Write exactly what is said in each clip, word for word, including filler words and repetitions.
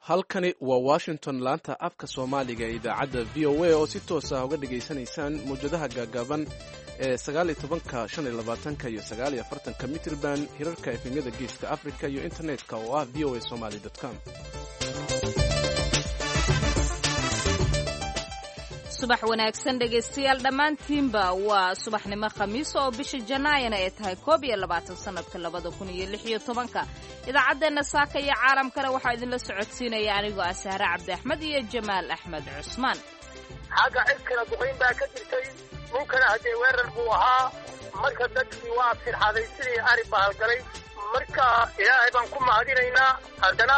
Halkani waa Washington, laanta afka Soomaaliga ee idaacadda V O A, oo si toos ah uga dhegaysanaysaan mawjadaha gaagaaban ee sagaal iyo tobanka, shan iyo labaatanka iyo sagaal iyo afartanka mitrban, hirarka efemyada Geeska Africa iyo internetka oo ah V O A Somali com. Subax wanaagsan, dhegaystayaal dhammaantiinba. Waa subaxnimo Khamiis oo bisha Janaayana ay tahay koob iyo labaatan sanadka labada kun iyo lix iyo tobanka. Idaacaddeenna saaka iyo caalamkana waxaa idinla socodsiinaya anigoo ah Sahre Cabdi Axmed iyo Jamaal Axmed Cusmaan. Xagga cirkana duqayn baa ka jirtay, dhulkana haddee weerar buu ahaa. Marka dadkii waa firxaday sidii ari bahalgalay. Marka Ilaahay baan ku mahadinaynaa. Haddana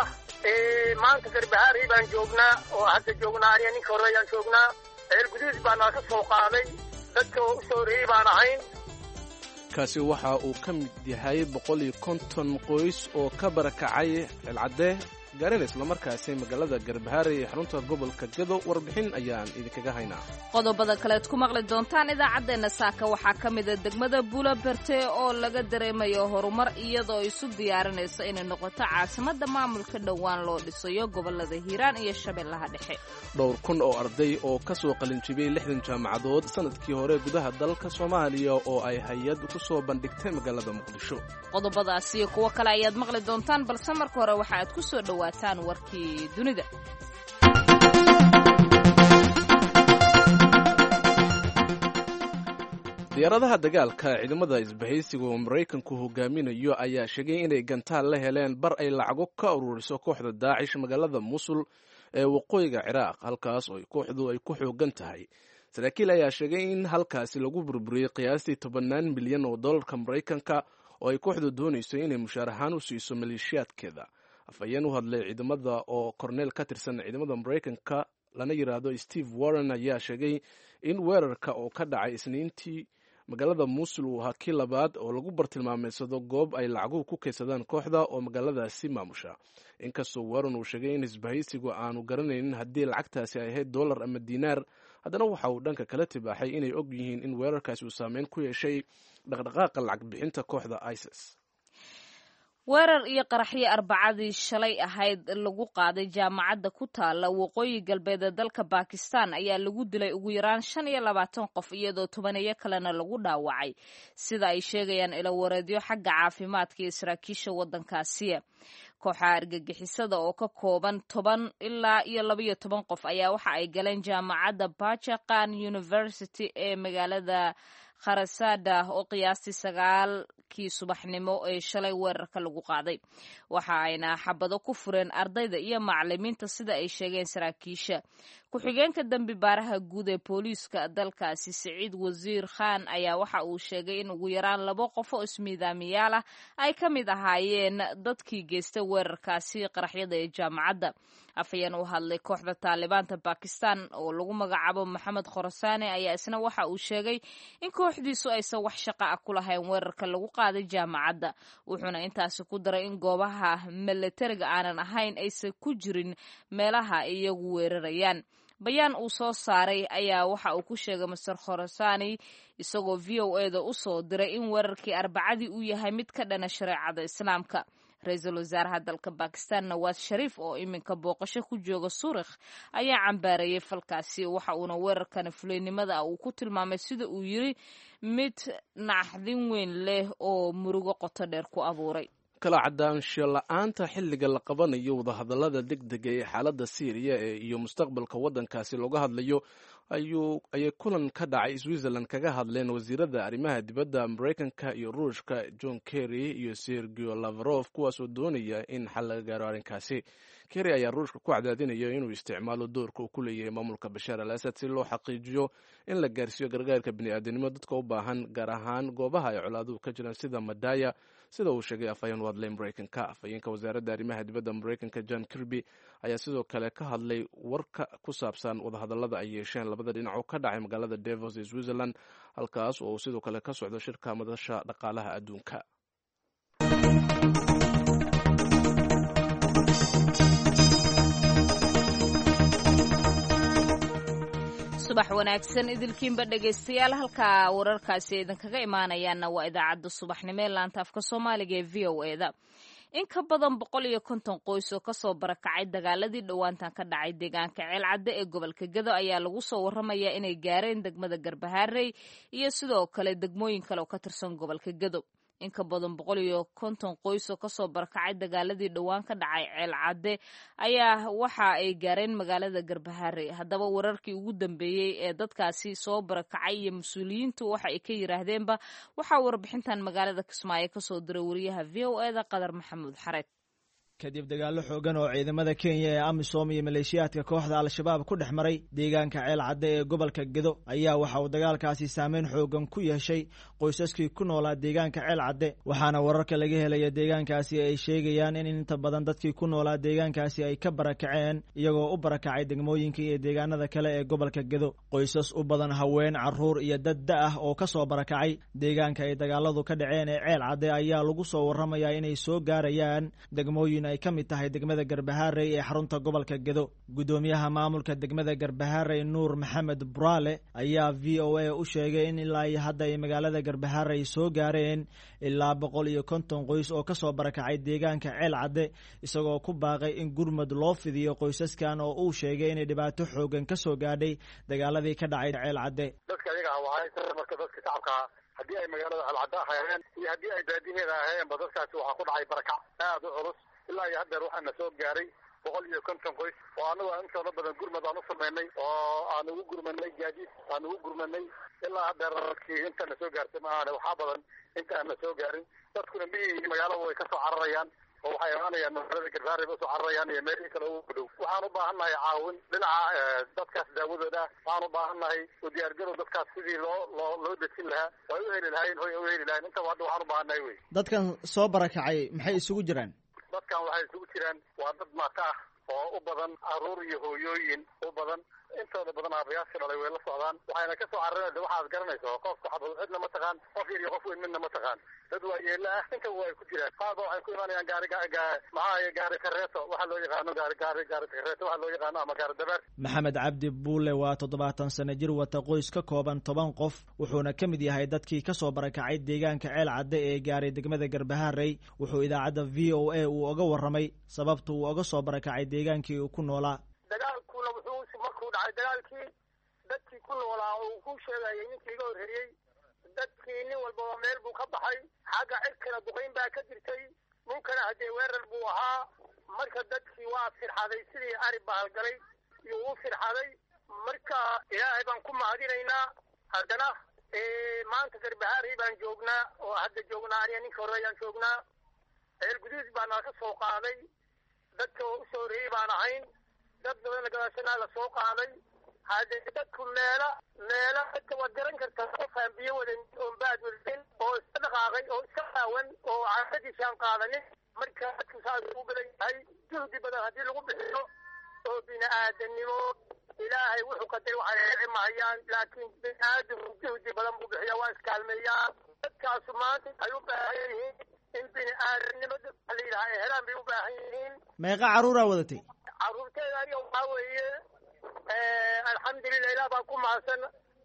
maanta Garbahaari baan joognaa oo hadda joognaa, aniga ninka hore ayaan joognaa. Ceelguduud baa naga soo qaaday, dadka oo u soo horeeyey baan ahayn. Kaasi waxa uu ka mid yahay boqol iyo konton qoys oo ka barakacay Ceelcadde gaarina islamarkaasi magaalada Garbahaare ee xarunta gobolka Gado. Warbixin ayaan idinkaga haynaa. Qodobada kaleed ku maqli doontaan idaacaddeenna saaka waxaa ka mida degmada Buula Berte oo laga dareemayo horumar, iyadoo isu diyaarinayso inay noqoto caasimadda maamulka dhowaan loo dhisayo gobolada Hiiraan iyo Shabeellaha Dhexe. Dhowr kun oo arday oo ka soo qalinjibiyey lixdan jaamacadood sanadkii hore gudaha dalka Soomaaliya oo ay hay-ad ku soo bandhigtay magaalada Muqdisho. Qodobadaas iyo kuwo kale ayaad maqli doontaan, balse marka hore waxa aad ku soo dhowaataan warkii dunida. Diyaaradaha dagaalka ciidamada isbahaysiga oo Maraykanku hogaaminayo ayaa sheegay inay gantaal la heleen bar ay lacago ka ururiso kooxda Daacish magaalada Musul ee waqooyiga Ciraaq, halkaas oo kooxdu ay ku xoogan tahay. Saraakiil ayaa sheegay in halkaasi lagu burburiyey qiyaastii tobannaan milyan oo dollarka Maraykanka oo ay kooxdu doonayso inay mushaar ahaan u siiso maleeshiyaadkeeda. Afhayeen u hadlay ciidamada oo korneel ka tirsan ciidamada Maraykanka lana yidhaahdo Steve Warren ayaa sheegay in weerarka oo ka dhacay Isniintii magaalada Muusul uu ahaa kii labaad oo lagu bartilmaameysado goob ay lacaguhu ku kaydsadaan kooxda oo magaaladaasi maamusha. Inkastoo Warren uu sheegay in isbahaysigu aanu garanaynin haddii lacagtaasi ay ahayd dollar ama diinaar, haddana waxa uu dhanka kala tibaaxay inay og yihiin in weerarkaasi uu saameyn ku yeeshay dhaqdhaqaaqa lacag bixinta kooxda ISIS. Weerar iyo qaraxyo Arbacadii shalay ahayd lagu qaaday jaamacadda ku taala waqooyi galbeed ee dalka Bakistan ayaa lagu dilay ugu yaraan shan iyo labaatan qof, iyadoo tobaneeyo kalena lagu dhaawacay, sida ay sheegayaan ilawareedyo xagga caafimaadka iyo saraakiisha waddankaasiya. Kooxaha argagixisada oo ka kooban toban ilaa iyo labaiyo toban qof ayaa waxa ay galeen jaamacadda Bachaqan University ee magaalada Kharasada oo qiyaastii sagaalkii subaxnimo ee shalay weerarka lagu qaaday. Waxa ayna xabado ku fureen ardayda iyo macalimiinta, sida ay sheegeen saraakiisha. Ku-xigeenka dembi baaraha guud ee booliiska dalkaasi, Siciid Wasiir Khan, ayaa waxa uu sheegay in ugu yaraan labo qof oo ismiidaamiyaal ah ay ka mid ahaayeen dadkii geystay weerarkaasi qaraxyada ee jaamacadda. Afhayeen u hadlay kooxda Taalibaanta Bakistan oo lagu magacaabo Maxamed Khorasaane ayaa isna waxa uu sheegay in kooxdiisu aysan wax shaqa ah ku lahayn weerarka lagu qaaday jaamacadda, wuxuuna intaasi ku daray in goobaha milatariga aanan ahayn aysan ku jirin meelaha iyagu weerarayaan. Bayaan uu soo saaray ayaa waxa uu ku sheegay Master Khorasani, isagoo V O A da u soo diray, in weerarkii Arbacadii uu yahay mid ka dhana shareecada Islaamka. Ra-iisul wasaaraha dalka Bakistan, Nawaas Shariif, oo iminka booqasho ku jooga Suurikh, ayaa cambaareeyey falkaasi, waxa uuna weerarkani fulaynimada uu ku tilmaamay, sida uu yiri, mid naxdin weyn leh oo murugo qoto dheer ku abuuray. Kala cadaansho la-aanta xilliga la qabanayo wadahadallada degdega ee xaaladda Siiriya ee iyo mustaqbalka waddankaasi looga hadlayo ayuu ayay kulan ka dhacay Switzerland kaga hadleen wasiirada arrimaha dibadda Maraykanka iyo Ruushka, John Kerry iyo Sergio Lavrov, kuwaasoo doonaya in xal laga gaaro arrinkaasi. Kerry ayaa Ruushka ku cadaadinaya inuu isticmaalo doorka uu ku leeyahay maamulka Bashaar al Asad si loo xaqiijiyo in la gaarsiiyo gargaarka bini'aadanimo dadka u baahan, gaar ahaan goobaha ay colaaduhu ka jiraan sida Madaya, sida uu sheegay afhayeen u hadlay Maraykanka. Afhayeenka wasaaradda arrimaha dibadda Maraykanka, John Kirby, ayaa sidoo kale ka hadlay warka ku saabsan wadahadallada ay yeesheen labada dhinac oo ka dhacay magaalada Davos ee Switzerland, halkaas oo uu sidoo kale ka socdo shirka madasha dhaqaalaha adduunka. Subax wanaagsan idilkiinba, dhegaystayaal. Halkaa wararkaasi idinkaga imaanayaanna waa idaacadda subaxnimo ee laanta afka Soomaaliga ee V O A da. In ka badan boqol iyo konton qoys oo kasoo barakacay dagaaladii dhowaantan ka dhacay deegaanka Ceelcadde ee gobolka Gedo ayaa lagu soo waramayaa inay gaareen degmada Garbaharey iyo sidoo kale degmooyin kale oo ka tirsan gobolka Gedo. In ka badan boqol iyo konton qoys oo kasoo barakacay dagaaladii dhowaan ka dhacay Ceelcadde ayaa waxa ay gaareen magaalada Garbaharey. Haddaba wararkii ugu dambeeyey ee dadkaasi soo barakacay iyo mas-uuliyiintu waxa ay ka yiraahdeenba waxaa warbixintan magaalada Kismaayo kasoo diray wariyaha V O E da Qadar Maxamuud Xareed. Kadib dagaallo xoogan oo ciidamada Kenya ee AMISOM iyo maleeshiyaadka kooxda Al-Shabaab ku dhex maray deegaanka Ceelcadde ee gobolka Gedo ayaa waxa uu dagaalkaasi saameyn xoogan ku yeeshay qoysaskii ku noolaa deegaanka Ceelcadde, waxaana wararka laga helaya deegaankaasi ay sheegayaan in inta badan dadkii ku noolaa deegaankaasi ay ka barakaceen iyagoo u barakacay degmooyinka iyo deegaanada kale ee gobolka Gedo. Qoysas u badan haween, carruur iyo dad da' ah oo ka soo barakacay deegaanka ay dagaaladu ka dhaceen ee Ceelcadde ayaa lagu soo warramayaa inay soo gaarayaan degmooyin ay ka mid tahay degmada Garbaharey ee xarunta gobolka Gedo. Guddoomiyaha maamulka degmada Garbaharey Nuur Maxamed Buraale ayaa V O A u sheegay in ilaa iyo hadda ay magaalada Garbaharey soo gaareen ilaa boqol iyo konton qoys oo kasoo barakacay deegaanka Ceelcadde, isagoo ku baaqay in gurmad loo fidiyo qoysaskan oo uu sheegay inay dhibaato xoogan kasoo gaadhay dagaaladii ka dhacay Ceelcadde. Dadka ayaga ah marka dadka shacabka haddii ay magaalada Ceelcadde ahaayeen iyo haddii ay baadiyaheeda ahaayeenba dadkaasi waxaa ku dhacay barakac aada u culus. Ilaa iyo haddeer waxaana soo gaaray boqol iyo konton qoys oo annagu aan intooda badan gurmad aan u samaynay oo aan ugu gurmanay gaadiid aan ugu gurmanay. Ilaa haddeer dadkii intana soo gaartay ma ahane waxaa badan inta aan na soo gaarin. Dadkuna miyihii magaalada way kasoo cararayaan oo waxay imaanayaan magaalada Garbaharey bay usoo cararayaan iyo meelihii kale ugu dhow. Waxaan u baahan nahay caawin dhinaca dadkaas daawadooda ah, waxaan u baahan nahay u diyaargarow dadkaas sidii loo loo loo dejin lahaa oo ay u heli lahaayeen hoy ay u heli lahayen. Intaba hadda waxaan u baahan nahay wey. Dadkan soo barakacay maxay isugu jiraan? Dadkan waxay isugu jiraan waa dad maata ah oo u badan carruur iyo hooyooyin u badan. Intooda badan aabayaashii dhalay way la socdaan, waxayna kasoo carareen. Waxaad garanayso qofka xabad cidna ma taqaan, qof yar iyo qof weyn midna ma taqaan, dad waayeela ah intaba way ku jiraan. Qaar ba waxay ku imaanayaan gaari maxaa gaari kareeto waxa loo yaqaano gaari gaari gaari kareeto waxa loo yaqaano ama gaari dabeer. Maxamed Cabdi Buule waa toddobaatan sano jir wata qoys ka kooban toban qof, wuxuuna ka mid yahay dadkii kasoo barakacay deegaanka Ceelcadde ee gaaray degmada Garbaharey. Wuxuu idaacadda V O A uu oga warramay sababta uu oga soo barakacay deegaankii uu ku noolaa. Dagaalkuna wuxuu markuu dhacay dagaalkii dadkii ku noolaa uu ku sheegayay ninkii iga horreeyey, dadkii nin walbaba meel buu ka baxay. Xagga cirkana duqayn baa ka jirtay, dhulkana haddee weerar buu ahaa. Marka dadkii waa firxaday sidii ari bahalgalay iyo uu firxaday. Marka ilaahay baan ku mahadinaynaa. Haddana maanta Garbaharey baan joognaa oo hadda joognaa, aniga ninka hore ayaan joognaa. Ceel Guduud baa nala ka soo qaaday, dadka oo usoo horreeyey baan ahayn, dad badanna gadaashanaa la soo qaaday. Haddee dadku meela meela dadka waad garan kartaa, qof aan biyo wadan oon baad wadanin oo iska dhaqaaqay oo iska qaawan oo caadadiisa aan qaadanin. Marka dadku saas ugu badan yahay, juhdi badan haddii lagu bixiyo oo bini-aadamnimo ilaahay wuxuu qadaray waxay dhici mahayaan, laakiin bini-aadamku juhdi badan buu bixiya, waa iskaalmeeyaa. Dadkaasu maanta waxay u baahan yihiin in bini-aadamnimada la yidhaha ay helaan bay u baahan yihiin. Meeqa carruuraa wadatay? Carruurteeda aniga waxaa weeye alxamdulilah ilaah baan ku mahadsan.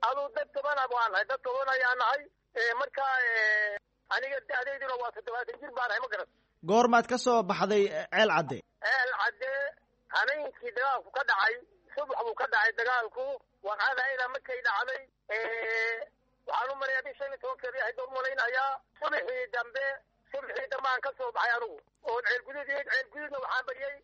Aduu dad toban waan nahay, dad toban ayaa nahay. Marka aniga da-dayduna waa toddobaatan jir baan nahay, ma garan. Goormaad ka soo baxday Ceelcadde? Ceelcadde hameenkii dagaalku ka dhacay, subax buu ka dhacay dagaalku. Waqaadayda markay dhacday waxaan u marayaa bii shan iyo tobankeedii ahayd baan u malaynayaa. Subaxii dambe subaxii dambe aan ka soo baxay anigu oon Ceelguduud Ceelguduudna waxaan bariyey.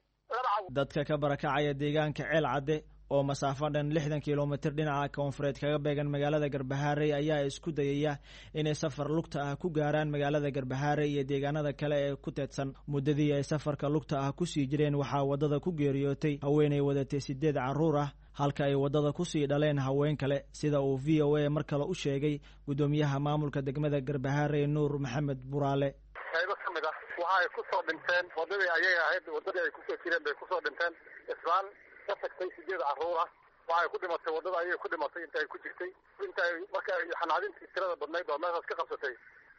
Dadka ka barakacaya deegaanka Ceelcadde oo masaafo dhan lixdan kilomitir dhinaca koonfureed kaga beegan magaalada Garbaharey ayaa isku dayaya inay safar lugta ah ku gaaraan magaalada Garbaharey iyo deegaanada kale ee ku teedsan. Muddadii ay safarka lugta ah kusii jireen waxaa waddada ku geeriyootay haweenay wadatay sideed carruur ah, halka ay waddada kusii dhaleen haween kale, sida uu V O A mar kale u sheegay guddoomiyaha maamulka degmada Garbaharey Nuur Maxamed Buraale. Qaybo ka mid ah waxa ay kusoo dhinteen waddadii ayay ahayd, waddadii ay kusoo jireen bay kusoo dhinteen. Islaan ka tagtay sideed carruur ah waxay ku dhimatay waddada ayay ku dhimatay inta ay ku jirtay, inta ay marka ay xanaadintii tirada badnayd oo meeshaas ka qabsatay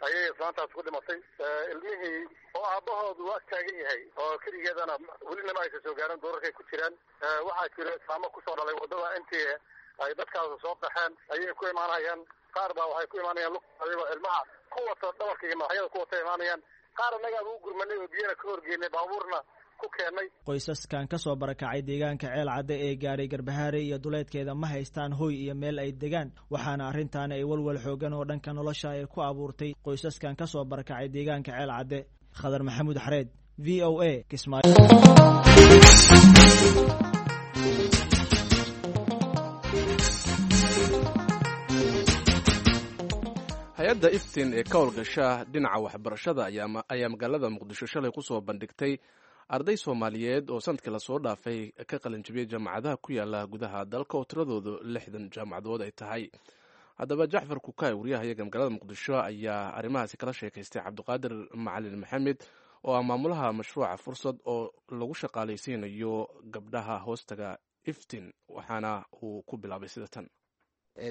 ayay islaantaas ku dhimatay. Ilmihii oo aabbahoodu waa taagan yahay oo keligeedana welinama aysan soo gaarin, duurarkay ku jiraan. Waxaa jira islaamo kusoo dhalay waddada intii ay dadkaas soo qaxeen ayay ku imaanayaan. Qaar baa waxay ku imaanayaan lug ayagoo ilmaha ku wata dhabarka iyo madaxyada ku wata imaanayaan. Qaar annagaa ugu gurmanay oo biyana ka horgeynay, baabuurna ku keennay. Qoysaskan ka soo barakacay deegaanka Ceel Cadde ee gaaray Garbahaare iyo duleedkeeda ma haystaan hoy iyo meel ay degaan, waxaana arrintaani ay walwal xoogan oo dhanka nolosha ay ku abuurtay qoysaskan ka soo barakacay deegaanka Ceel Cadde. Khadar Maxamuud Xareed, V O A, Kismaayo. Hay-adda Iftin ee ka howlgasha dhinaca waxbarashada ayaa magaalada Muqdisho shalay kusoo bandhigtay arday Soomaaliyeed oo sanadkii lasoo dhaafay ka qalinjabiyey jaamacadaha ku yaala gudaha dalka oo tiradoodu lixdan jaamacadood ay tahay. Haddaba Jacfar Kukaay, wariyaha iyaga magaalada Muqdisho, ayaa arrimahaasi kala sheekaystay Cabdiqaadir Macalin Maxamed oo ah maamulaha mashruuca Fursad oo lagu shaqaalaysiinayo gabdhaha hoostaga Iftin, waxaana uu ku bilaabay sida tan.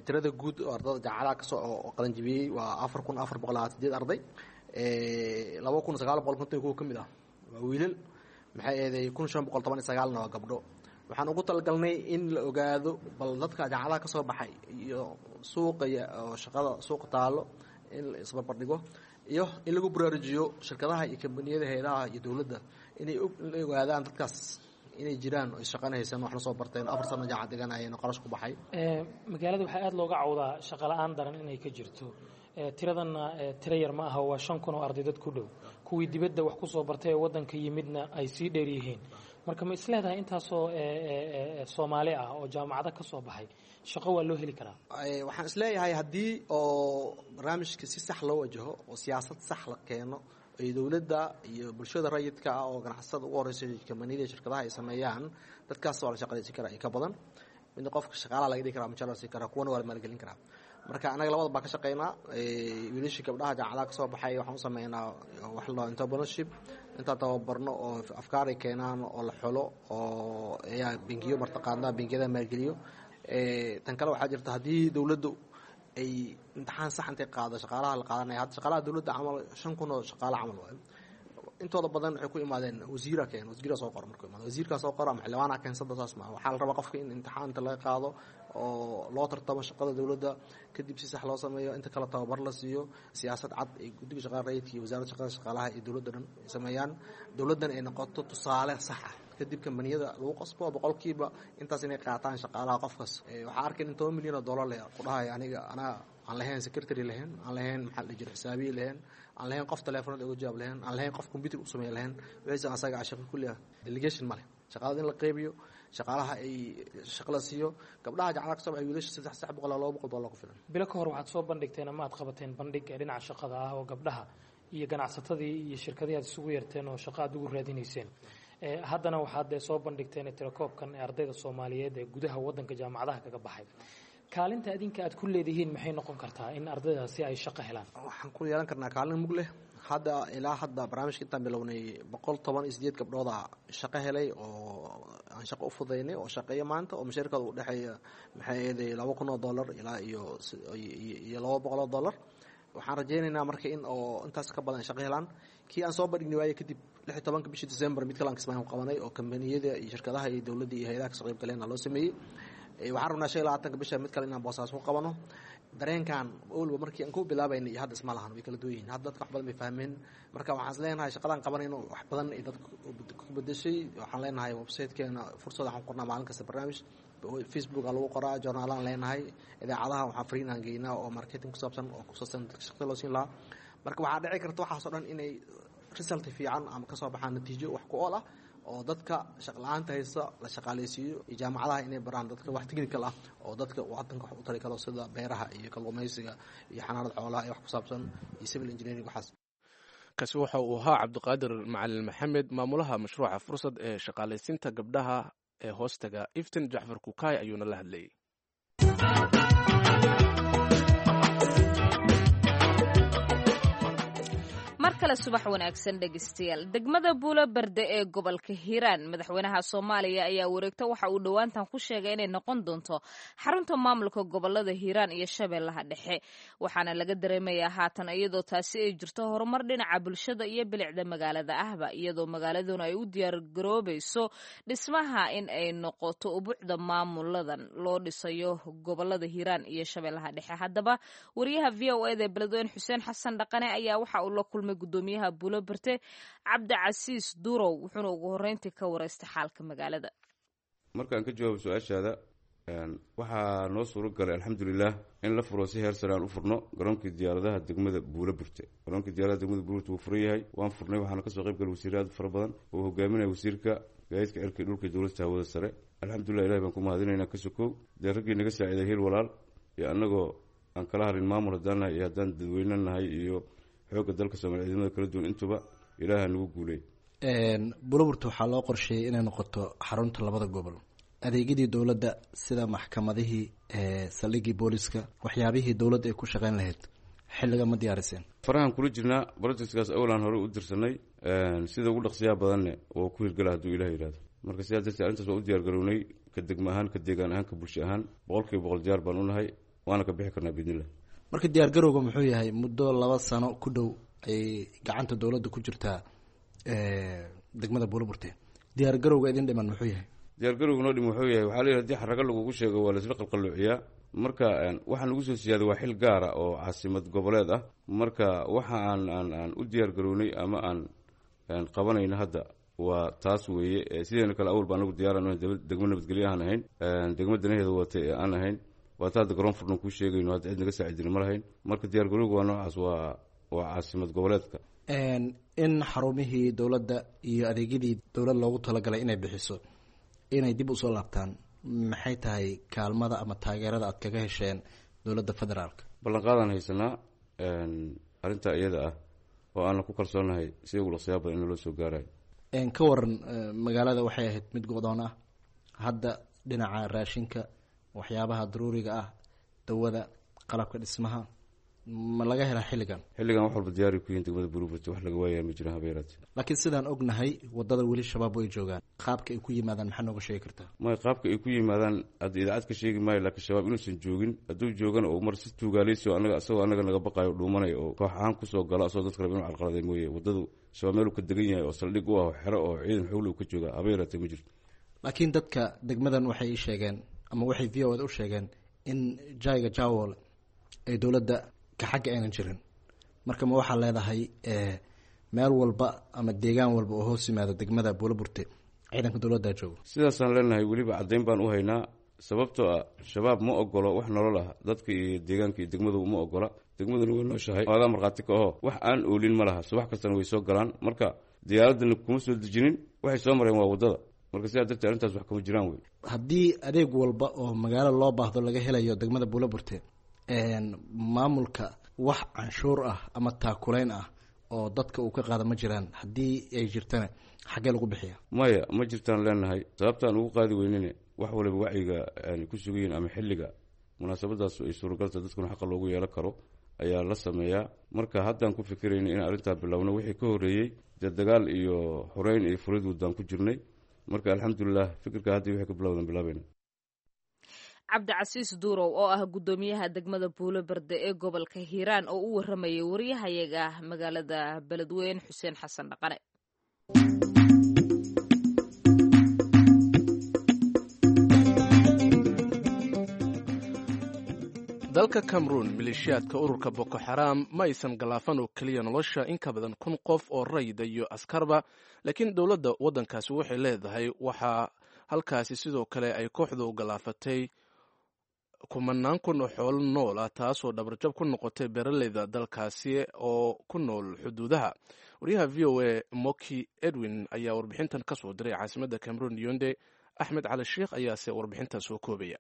Tirada guud oo ardada jaamacadaha kasoo oo qalanjibiyey waa afar kun afar boqol labaatan sideed arday. Laba kun sagaal boqol konton iyo kuwa ka mid ah waa wiilal, maxay eeday kun shan boqol toban iyo sagaalna waa gabdho. Waxaan ugu talagalnay in la ogaado bal dadka jaamacadaha kasoo baxay iyo suuqa oo shaqada suuqa taalo in la isbarbardhigo, iyo in lagu baraarujiyo shirkadaha iyo kambaniyada, hayadaha iyo dowladda inay ogaadaan dadkaas inay jiraan oo shaqana haysan, waxna soo barteen, afar sano jaamacad dhiganayeen oo qarash ku baxay. Magaalada waxaa aada looga cawdaa shaqo la-aan daran inay ka jirto. Tiradanna tiro yar ma aha, waa shan kun oo arday dad ku dhow, kuwii dibadda wax kusoo bartay ee waddanka yimidna ay sii dheer yihiin. Marka ma isleedahay intaasoo Soomaali ah oo jaamacado ka soo baxay shaqo waa loo heli karaa? Waxaan isleeyahay haddii oo barnaamijka si sax loo wajaho oo siyaasad sax la keeno ay dowladda iyo bulshada rayidka ah oo ganacsatada ugu horeysa, kambaniyada, shirkadaha ay sameeyaan, dadkaas waa la shaqalaysin karaa in ka badan. Midna qofka shaqaalaha laga dhigi karaa, mushaar la siin karaa, kuwana waa la maalgelin karaa. Marka anaga labada baa ka shaqeynaa. Wiilashii gabdhaha jaamacadaha kasoo baxay waxaan u sameynaa wax la dhaho entrepreneurship, intaan tababarno oo afkaar ay keenaan oo la xulo oo ayaa bengiyo martaqaana bengiyada maalgeliyo. Tan kale waxaa jirta haddii dowladdu ay imtixaan sax intay qaado shaqaalaha la qaadanaya. Hadda shaqaalaha dowladda camal shan kun oo shaqaale camal waayo, intooda badan waxay ku imaadeen wasiira keen, wasiira soo qoro. Markuu imaado wasiirkaa soo qoro ama xildhibaanaa keensada, saas maaha. Waxaa la rabaa qofka in imtixaanta laga qaado oo loo tartamo shaqada dowladda, kadib si sax loo sameeyo, inta kale tababar la siiyo, siyaasad cad ay guddiga shaqada rayidka iyo wasaaradda shaqada shaqaalaha iyo dowladda dhan ay sameeyaan, dowladdan ay noqoto tusaale sax ah. Kadib kambaniyada lagu qasbo boqolkiiba intaas inay qaataan shaqaalaha qofkas. Waxaa arkayn in toban milyan oo dollar le ku dhahay aniga anaa aan lahayn secretary lahayn, aan lahayn maxaa la dhihi jiray xisaabiye lahayn, aan lahayn qof teleefonada uga jawaab lahayn, aan lahayn qof computer u sameyn lahayn, wixiisa asaga ah shaqo kulli ah. Delegation ma leh shaqaalada in la qeybiyo, shaqaalaha ay shaqo la siiyo gabdhaha jaamacadaha kasoo baxay, wiilasha saddex saddex boqol laba boqol dollar ku filan. Bilo ka hor waxaad soo bandhigteen ama aad qabateen bandhig ee dhinaca shaqada ah oo gabdhaha iyo ganacsatadii iyo shirkadihii aad isugu yeerteen oo shaqo aad ugu raadinayseen. Haddana waxaad soo bandhigteen tirakoobkan ee ardayda Soomaaliyeed ee gudaha waddanka jaamacadaha kaga baxay. Kaalinta adinka aad ku leedihiin maxay noqon kartaa in ardaydaasi ay shaqo helaan? Waxaan ku yeelan karnaa kaalin mug leh. Hadda ilaa hadda barnaamijka intaan bilownay boqol toban iyo sideed gabdhooda shaqo helay oo aan shaqo u fudaynay oo shaqeeya maanta, oo mushaarkooda u dhexeeya maxay eeday laba kun oo dollar ilaa iyo iyo laba boqol oo dollar. Waxaan rajaynaynaa marka in oo intaas ka badan ay shaqo helaan. Kii aan soo bandhignay waaye kadib lix iyo tobanka bishii December mid kale aan Kismaayo ku qabanay oo kambaniyada iyo shirkadaha iyo dowladda iyo hayadaha kasoo qayb galeen loo sameeyey. Waxaan rabnaa shan iyo labaatanka bisha mid kale inaan Boosaaso ku qabano. Dareenkan awalba markii aan ku bilaabaynay iyo hadda isma lahan, way kala duwan yihiin. Hadda dadka wax badan bay fahmeen. Marka waxaan is leenahay shaqadaan qabanayno wax badan ay dadka ku bedeshay. Waxaan leenahay websitekeena Fursad, waxaan qornaa maalin kasta barnaamij, Facebook aa lagu qoraa, journaalaan leenahay, idaacadaha waxaan fariin aan geynaa oo marketing ku saabsan oo ku saabsan dadka shaqada loo siin lahaa. Marka waxaa dhici karta waxaas oo dhan inay result fiican ama kasoo baxaan natiijo wax ku ool ah oo dadka shaqla-aanta haysta la shaqaaleysiiyo, iyo jaamacadaha inay baraan dadka wax technical ah oo dadka wadanka wax u tari karo, sida beeraha iyo kalluumeysiga iyo xanaanada xoolaha iyo wax ku saabsan iyo civil engineering waxaas. Kaasi waxa uu ahaa Cabdiqaadir Macalin Maxamed, maamulaha mashruuca Fursad ee shaqaalaysiinta gabdhaha ee hoostaga Iftin. Jacfar Kukaay ayuuna la hadlayay. Mar kale subax wanaagsan dhegeystayaal. Degmada Buulo Berde ee gobolka Hiiraan, madaxweynaha Soomaaliya ayaa wareegto waxa uu dhowaantan ku sheegay inay noqon doonto xarunta maamulka gobolada Hiiraan iyo Shabeellaha Dhexe, waxaana laga dareemayaa haatan iyadoo taasi ay jirto horumar dhinaca bulshada iyo bilicda magaalada ahba, iyadoo magaaladuna ay u diyaargaroobayso dhismaha in ay noqoto ubucda maamuladan loo dhisayo gobolada Hiiraan iyo Shabeellaha Dhexe. Haddaba wariyaha V O eda ee Beledweyne Xuseen Xasan Dhaqane ayaa waxa uu la kulmay guddoomiyaha Buulo Berte, Cabdicasiis Durow, wuxuuna ugu horreyntii ka wareystay xaalka magaalada. Markaan ka jawaabo su-aashaada, waxaa noo suuro galay, alxamdulilah, in la furo si heer sare aan u furno garoonkii diyaaradaha degmada Buulo Burte. Garoonkii diyaaradaha degmada Buulo Burte wuu furan yahay, waan furnay. Waxaana kasoo qayb galay wasiirro aad u fara badan oo hogaaminaya wasiirka gaadiidka cirka, dhulka, dowlasta hawada sare. Alxamdulilah, ilahi baan ku mahadinaynaa. Ka sokow dee raggii naga saaciiday Hiil Walaal iyo annagoo aan kala harin, maamul haddaan nahay iyo haddaan dadweyne nahay iyo xoogga dalka Soomaliya, ciidamada kala duwan, intuba ilaaha nagu guulay. Buuloburte waxaa loo qorsheeyey inay noqoto xarunta labada gobol. Adeegyadii dowladda sida maxkamadihii, saldhiggii booliska, waxyaabihii dowladda ay ku shaqeyn lahayd, xilliga ma diyaariseen? Farahan kula jirnaa brojectkaas. Awlaan hore u dirsanay, sida ugu dhaqsiyaha badanne waa ku hirgala hadduu Ilah yidhahdo. Marka sidaa darteed arrintaas waa u diyaar garownay, ka degmo ahaan, ka deegaan ahaan, ka bulsho ahaan, boqol kiiba boqol diyaar baan u nahay, waana ka bixi karnaa biidnillah. Marka diyaar garowga muxuu yahay? Muddo laba sano ku dhow ayay gacanta dowladda ku jirtaa degmada Buuloburte. Diyaar garowga idin dhiman muxuu yahay? Diyaargarowga noo dhim wuxuu yahay, waxaa la yidhi hadii xarago lagugu sheego waa laisla qalqalloociyaa. Marka waxaa nagu soo siyaaday waa xil gaara oo caasimad goboleed ah. Marka waxa aan aan aan u diyaar garownay ama aan aan qabanayno hadda waa taas weeye. Sideena kale awal baa anagu diyaaran degmo nabadgelyo aan ahayn, degmo danaheeda watay ee aan ahayn. Waa ta hadda garoon furnan kuu sheegayno, hadda cid naga saacidina ma lahayn. Marka diyaar garowga waa noocaas, waa waa caasimad goboleedka. In xarumihii dowladda iyo adeegyadii dowlad loogu talagalay inay bixiso inay dib usoo laabtaan, maxay tahay kaalmada ama taageerada aad kaga hesheen dowladda federaalka? Ballanqaadaan haysanaa arrintaa iyada ah oo aanna ku kalsoonahay sida ugu dhaqsiyaa badan in loo soo gaarayo. Ka waran magaalada? Waxay ahayd mid go-doon ah. Hadda dhinaca raashinka, waxyaabaha daruuriga ah, dawada, qalabka dhismaha, ma laga helaa xilligan? Xilligan wax walba diyaari ku yihiin degmada Buuloburte, wax laga waayaa ma jiraan habeeraate. Laakiin sidaan ognahay waddada weli Shabaab way joogaan. Qaabka ay ku yimaadaan maxaa nooga sheegi kartaa? May, qaabka ay ku yimaadaan hadda idaacad ka sheegi maayo, laakiin Shabaab inuusan joogin, hadduu joogana oo mar si tuugaaleysi oo anaga isagoo annaga naga baqaayo dhuumanaya oo koox ahaan kusoo galo asagoo dadka raba inuu carqaladay mooye, waddadu Shabaab meel uu ka degan yahay oo saldhig u ah oo xero oo ciidan xowli uu ka jooga habeeraate ma jirto. Laakiin dadka degmadan waxay ii sheegeen ama waxay V O da u sheegeen in jayga jawol ay dowladda ka xagga aynan jirin. Marka ma waxaa leedahay meel walba ama deegaan walba oo hoos yimaada degmada Buuloburte ciidanka dowladdaa joogo? Sidaasaan leenahay, weliba caddayn baan u haynaa, sababtoo ah Shabaab ma ogolo wax nolol ah dadka iyo deegaanka iyo degmadu ma ogola. Degmaduna way nooshahay, adaa markhaati ka aho, wax aan oolin ma laha. Subax kastana way soo galaan. Marka diyaaradana kuma soo dejinin, waxay soo mareen waa waddada. Marka sidaa darteed arrintaas wax kama jiraan wey. Haddii adeeg walba oo magaalo loo baahdo laga helayo degmada Buuloburte, maamulka wax canshuur ah ama taakuleyn ah oo dadka uu ka qaada ma jiraan? Haddii ay jirtana xaggee lagu bixiya? Maya, ma jirtaan leenahay. Sababtaan ugu qaadi weynine, wax waliba wacyiga ku sugayiin ama xilliga munaasabadaas ay suuragalta dadkuna xaqa loogu yeelan karo ayaa la sameeyaa. Marka haddaan ku fikirayna inaan arrintaa bilowno, wixii ka horreeyey dee dagaal iyo xoreyn iyo furid waddaan ku jirnay. Marka alxamdulilah, fikirka haddii wixii ka bilowdan bilaabayna. Cabdicasiis Duurow oo ah guddoomiyaha degmada Buulo Berde ee gobolka Hiiraan oo u waramayay wariyahayaga magaalada Beledweyne, Xuseen Xasan Dhaqane. Dalka Cameroon, maleeshiyaadka ururka Boko Xaraam ma aysan galaafan oo keliya nolosha in ka badan kun qof oo rayida iyo askarba, laakiin dowladda waddankaasi waxay leedahay waxaa halkaasi sidoo kale ay kooxdu galaafatay kumanaan kun oo xoolo nool ah, taasoo dhabarjab ku noqotay beeraleyda dalkaasi oo ku nool xuduudaha. Wariyaha V O A Moki Edwin ayaa warbixintan ka soo diray caasimadda Cameroon, Yonde. Axmed Cali Sheikh ayaase warbixintan soo koobaya.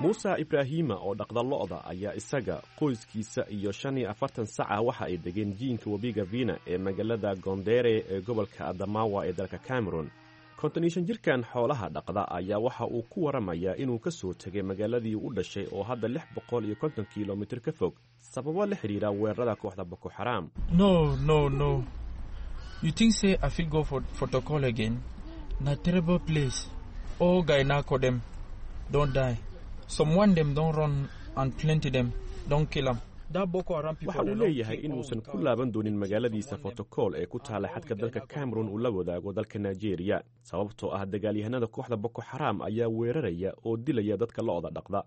Muuse Ibraahiima oo dhaqda lo'da ayaa isaga, qoyskiisa iyo shan iyo afartan saca waxa ay degeen jiinka webiga Vina ee magaalada Gondere ee gobolka Adamawa ee dalka Cameron. Konton iyo shan jirkan xoolaha dhaqda ayaa waxa uu ku waramayaa inuu ka soo tegay magaaladii u dhashay oo hadda lix boqol iyo konton kilomitir ka fog, sababo la xidhiira weerarada kooxda Boko Xaraam. No, no, no. You think say I fit go for protocol again? Na terrible place. All guy na dem don die. Someone them don run and plenty them don kill am. Waxa uu leeyahay inuusan ku laaban doonin magaaladiisa Fotokol ee ku taala xadka dalka Cameron uu la wadaago dalka Nigeria, sababtoo ah dagaalyahanada kooxda Boko Xaraam ayaa weeraraya oo dilaya dadka lo'da dhaqda.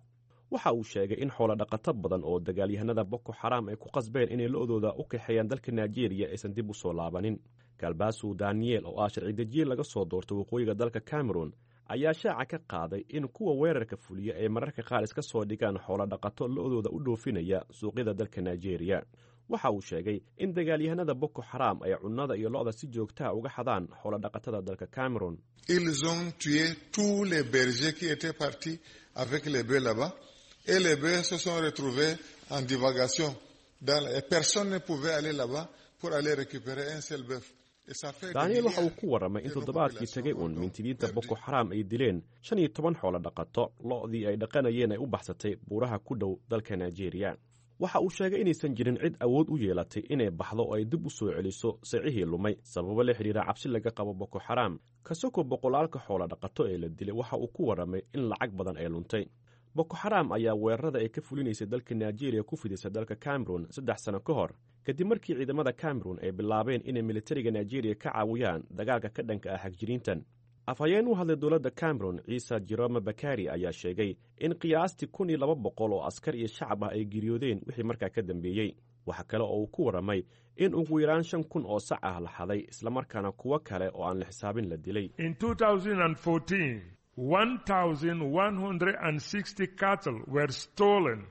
Waxa uu sheegay in xoolo dhaqato badan oo dagaalyahanada Boko Xaraam ay ku qasbeen inay lo'dooda u kaxeeyaan dalka Nigeria aysan dib u soo laabanin. Galbasu Daniel oo ah sharci dejiye laga soo doorto waqooyiga dalka Cameron ayaa shaaca ka qaaday in kuwa weerarka fuliya ay mararka qaar iska soo dhigaan xoolo dhaqato lo'dooda u dhoofinaya suuqyada dalka Nigeria. Waxa uu sheegay in dagaalyahanada Boko Xaraam ay cunnada iyo lo'da si joogtaha uga xadaan xoolo dhaqatada dalka Cameron. Ils ont tué tous les bergers qui étaient partis avec les bœufs là-bas et les bœufs se sont retrouvés en divagation. Dans, et personne ne pouvait aller là-bas pour aller récupérer un seul bœuf. Daniel waxa uu ku warramay in toddobaadkii tagay uun mintidiinta Boko Xaraam ay dileen shan iyo toban xoolo dhaqato, lo'dii ay dhaqanayeen ay u baxsatay buuraha ku dhow dalka Nigeria. Waxa uu sheegay inaysan jirin cid awood u yeelatay inay baxdo oo ay dib u soo celiso sicihii lumay, sababo la xidhiira cabsi laga qabo Boko Xaraam. Kasoko boqolaalka xoolo dhaqato ee la dilay, waxa uu ku warramay in lacag badan ay luntay. Boko Xaraam ayaa weerarada ay ka fulinaysay dalka Nigeria ku fidisay dalka Cameron saddex sano ka hor, kadib markii ciidamada Cameron ay bilaabeen inay militariga Nigeria ka caawiyaan dagaalka ka dhanka ah xagjiriintan. Afhayeen u hadlay dowladda Cameron, Ciise Jerome Bakari, ayaa sheegay in qiyaastii kun iyo laba boqol oo askar iyo shacab ah ay geeriyoodeen wixii markaa ka dambeeyey. Waxa kale oo uu ku warramay in ugu yaraan shan kun oo sac ah la xaday, islamarkaana kuwo kale oo aan la xisaabin la dilay. one thousand one hundred sixty cattle were stolen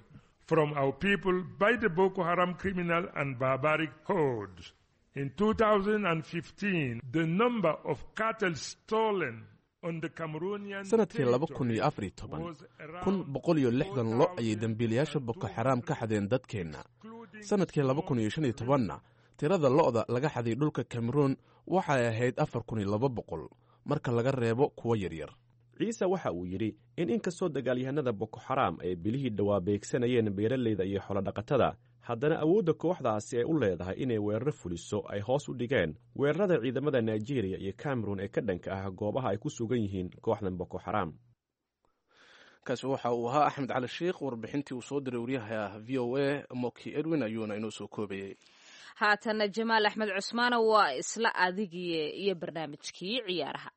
from our people by the Boko Haram criminal and barbaric hordes. In two thousand fifteen, the number of cattle stolen on the Cameroonian Sanadkii laba kun iyo afar iyo toban, kun boqol iyo lixdan lo ayay dembiilayaasha Boko Xaraam ka xadeen dadkeenna. Sanadkii laba kun iyo shan iyo tobanna, tirada lo'da laga xaday dhulka Cameroon waxay ahayd afar kun iyo laba boqol, marka laga reebo kuwo yaryar. Ciise waxa uu yidhi in inkastoo dagaalyahanada Boko Xaraam ay bilihii dhowaa beegsanayeen beeralayda iyo xoolodhaqatada, haddana awoodda kooxdaasi ay u leedahay inay weeraro fuliso ay hoos u dhigeen weerarada ciidamada Nigeria iyo Cameron ee ka dhanka ah goobaha ay ku sugan yihiin kooxdan Boko Xaraam. Kaasi waxa uu ahaa Axmed Cali Sheikh, warbixintii uu soo diray waryaha V O A Moki Edwin ayuuna inoo soo koobayey. Haatana Jamaal Axmed Cusmaana, waa isla adigii iyo barnaamijkii ciyaaraha.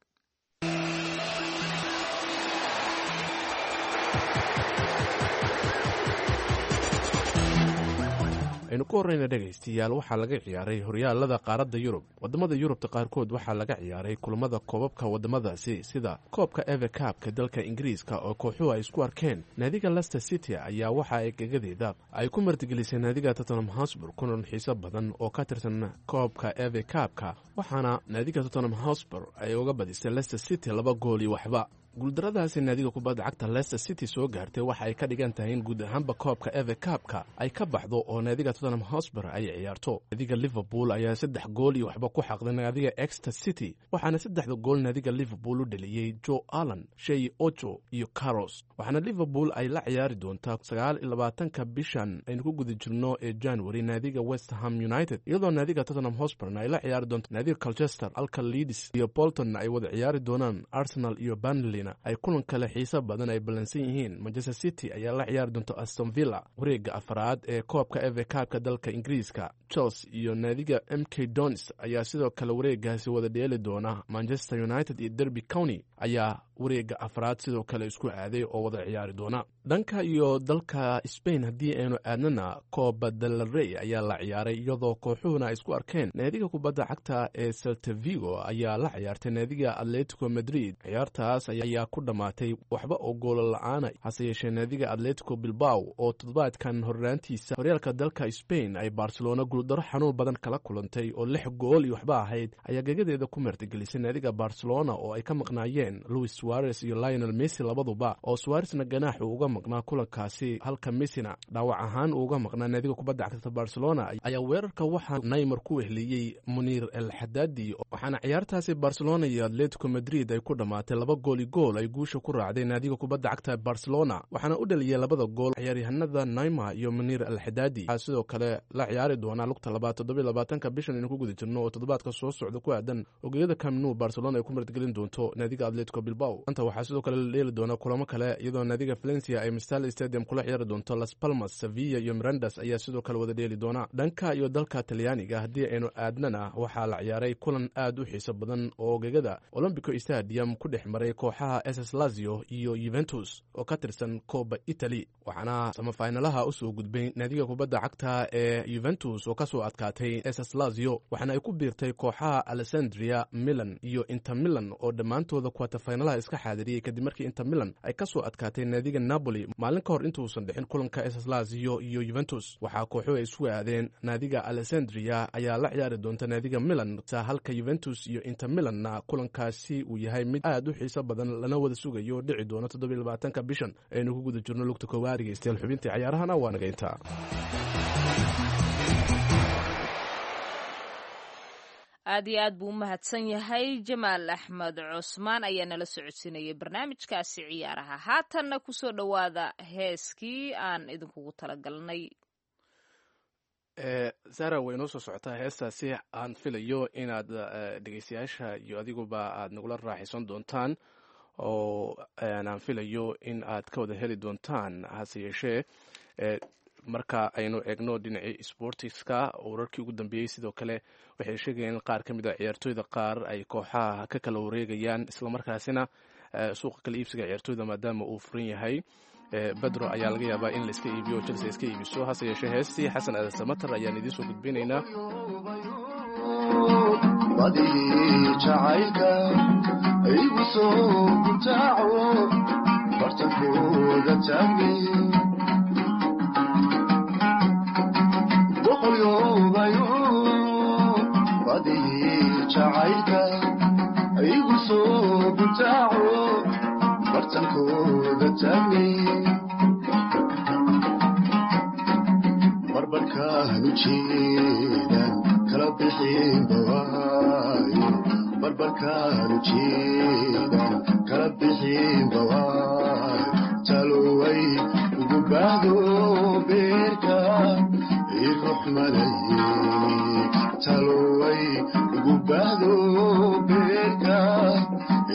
Aynu ku horreyna dhegaystayaal, waxaa laga ciyaaray horyaalada qaaradda Yurub. Waddamada Yurubta qaarkood waxaa laga ciyaaray kulamada koobabka waddamadaasi, sida koobka Evercabka dalka Ingiriiska oo kooxuhu ay isku arkeen. Naadiga Lester City ayaa waxa ay gagadeeda ay ku martigelisay naadiga Tottenham Hotspur kulan xiiso badan oo ka tirsan koobka Evercabka, waxaana naadiga Tottenham Hotspur ay uga badisay Lester City laba gool iyo waxba. Guuldaradaasi naadiga kubadda cagta Leicester City soo gaartay waxa ay ka dhigan tahay in guud ahaanba koobka Eve Cupka ay ka baxdo oo naadiga Tottenham Hotspur ay ciyaarto. Naadiga Liverpool ayaa saddex gool iyo waxba ku xaqday naadiga Exeter City, waxaana saddexda gool naadiga Liverpool u dhaliyey Joe Allen, Shey Ojo iyo Carros. Waxaana Liverpool ay la ciyaari doontaa sagaal iyo labaatanka bishan aynu ku guda jirno ee January naadiga West Ham United, iyadoo naadiga Tottenham Hotspurna ay la ciyaari doonto naadiga Colchester, halka Leeds iyo Bolton ay wada ciyaari doonaan. Arsenal iyo Burnley ay kulan kale xiiso badan ay ballansan yihiin. Manchester City ayaa la ciyaari doonta Aston Villa wareegga afraad ee koobka Eve Cupka dalka Ingiriiska. Chelsea iyo naadiga M K Dons ayaa sidoo kale wareeggaasi wada dheeli doona. Manchester United iyo Derby County ayaa wareegga afraad sidoo kale isku aaday oo wada ciyaari doona. Dhanka iyo dalka Spain haddii aynu aadnana, Copa del Rey ayaa la ciyaaray iyadoo kooxuhuna ay isku arkeen. Naadiga kubadda cagta ee Celta Vigo ayaa la ciyaartay naadiga Atletico Madrid. Ciyaartaas ayaa ku dhammaatay waxba oo goolo la-aana, hase yeeshee naadiga Atletico Bilbao oo toddobaadkan horraantiisa horyaalka dalka Spain ay Barcelona guuldaro xanuun badan kala kulantay oo lix gool iyo waxba ahayd ayaa gagadeeda ku martigelisay naadiga Barcelona oo ay ka maqnaayeen Luis Suarez iyo Lionel Messi labaduba, oo Suarezna ganaax uu uga maqnaa kulankaasi halka Messina dhaawac ahaan uu uga maqnaa. Naadiga kubadda cagta Barcelona ayaa weerarka waxaa Neymar ku weheliyey Munir El Haddadi, waxaana ciyaartaasi Barcelona iyo Atletico Madrid ay ku dhammaatay laba gool iyo gool ay guusha ku raacday naadiga kubadda cagta Barcelona, waxaana u dhaliyay labada gool ciyaaryahanada Neymar iyo Munir El Haddadi. Waxaa sidoo kale la ciyaari doonaa lugta labaad toddoba iyo labaatanka bishan aynu ku guda jirno oo toddobaadka soo socda ku aadan ogeyada Camp Nou Barcelona ay ku martigelin doonto naadiga Atletico Bilbao. Maanta waxaa sidoo kale la dheeli doona kulamo kale, iyadoo naadiga Valencia ay Mestalla Stadium kula ciyaari doonto Las Palmas. Sevilla iyo Mirandas ayaa sidoo kale wada dheeli doona. Dhanka iyo dalka Talyaaniga haddii aynu aadnana, waxaa la ciyaaray kulan aad u xiiso badan oo gegada Olombico Stadium ku dhex maray kooxaha S S Lazio iyo Juventus oo ka tirsan Copa Italy, waxaana samafaynalaha usoo gudbay naadiga kubadda cagta ee Juventus oo kasoo adkaatay S S Lazio, waxaana ay ku biirtay kooxaha Alessandria, Milan iyo Inter Milan oo dhammaantooda kwatafaynalaha iska xaadiriyey, kadib markii Inter Milan ay kasoo adkaatay naadiga Napoli maalin ka hor intuusan dhixin kulanka S S Lazio iyo Juventus. Waxaa kooxuhu ay isku aadeen, naadiga Alessandria ayaa la ciyaari doonta naadiga Milan, halka Juventus iyo Inter Milanna kulankaasi uu yahay mid aad u xiiso badan lana wada sugayo, dhici doono toddobiyo labaatanka bishan aynu ku guda jirno lugta koowaad. Dhegeystayaal, xubintii cayaarahana waa naga intaa. Aad iyo aad buu u mahadsan yahay Jamaal Axmed Cusmaan ayaa nala socodsiinayay barnaamijkaasi ciyaaraha. Haatanna kusoo dhowaada heeskii aan idinkugu talagalnay. Sara, way inoo soo socotaa heestaasi aan filayo inaad dhegeystayaasha iyo adiguba aad nagula raaxaysan doontaan oo aan filayo in aad ka wada heli doontaan. Hase yeeshee, marka aynu eegno dhinacii sportiska, wararkii ugu dambeeyey sidoo kale waxay sheegayeen in qaar ka mid a ciyaartooyda qaar ay kooxaha ka kala wareegayaan, islamarkaasina suuqa kala iibsiga ciyaartooyda maadaama uu furan yahay, Bedro ayaa laga yaabaa in laiska iibiyo, Chelsea iska iibiso. Hase yeeshee, heestii Xasan Aadan Samatar ayaan idiin soo gudbinaynaa. Badihii jacaylka igu soo gutaaco, bartankooda taagni boqolyoobayo. Badihii jacaylka igu soo gutaaco, bartankooda taagni barbarkaanu jeedan kala bixin bawaayo, barbarkaanu jeedan kala bixin bawaayo, taloway ugu baahdo beerka iruxmanaye, taloway ugu baahdo beerka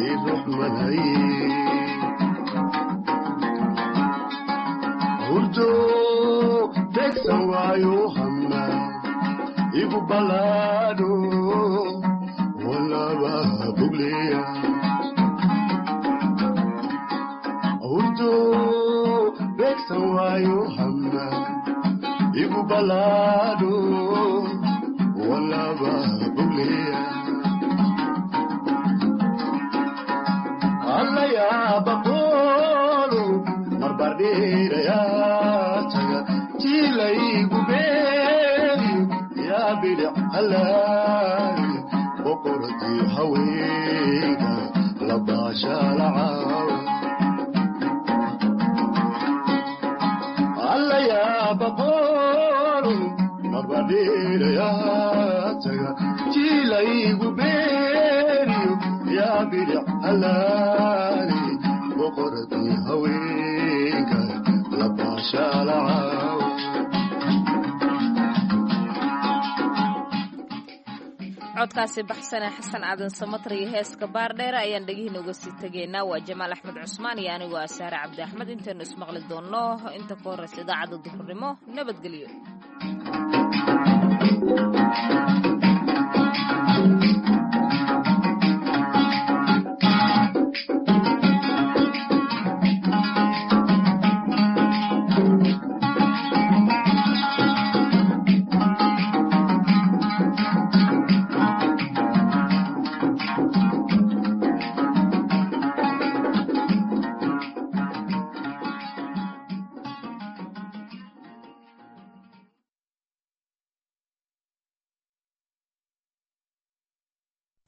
iruxmanaye. Hurdo tegsan waayo, hama igu balaadho, walaba bugleya. Hurdo begsan waayo, hama igu balaadho, walaba bugleya. Alla yaabaqoolu marbardhiirayaa taga jiilaygu beeriyo, yaa bidhic halaali boqoradii haweenka labaashaalacaawa. Alla yaabaqoolu marbardhiirayaa taga jiilaygu beeriyo, yaa bidhic halaali boqoradii haweenka labaashaalacaawa. Codkaasi baxsane Xasan Aadan Samatar iyo heeska Baardheere ayaan dhegihiina uga sii tegaynaa. Waa Jamaal Axmed Cusmaan iyo anigoo ah Saare Cabdi Axmed. Intaynu ismaqli doonno inta ka horreysa idaacadda duhurnimo, nabadgelyo.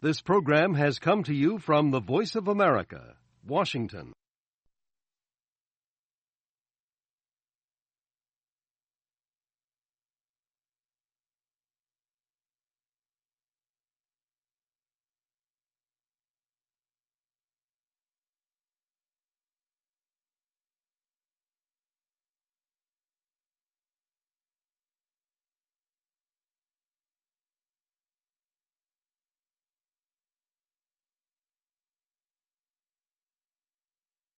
This program has come to you from the Voice of America, Washington.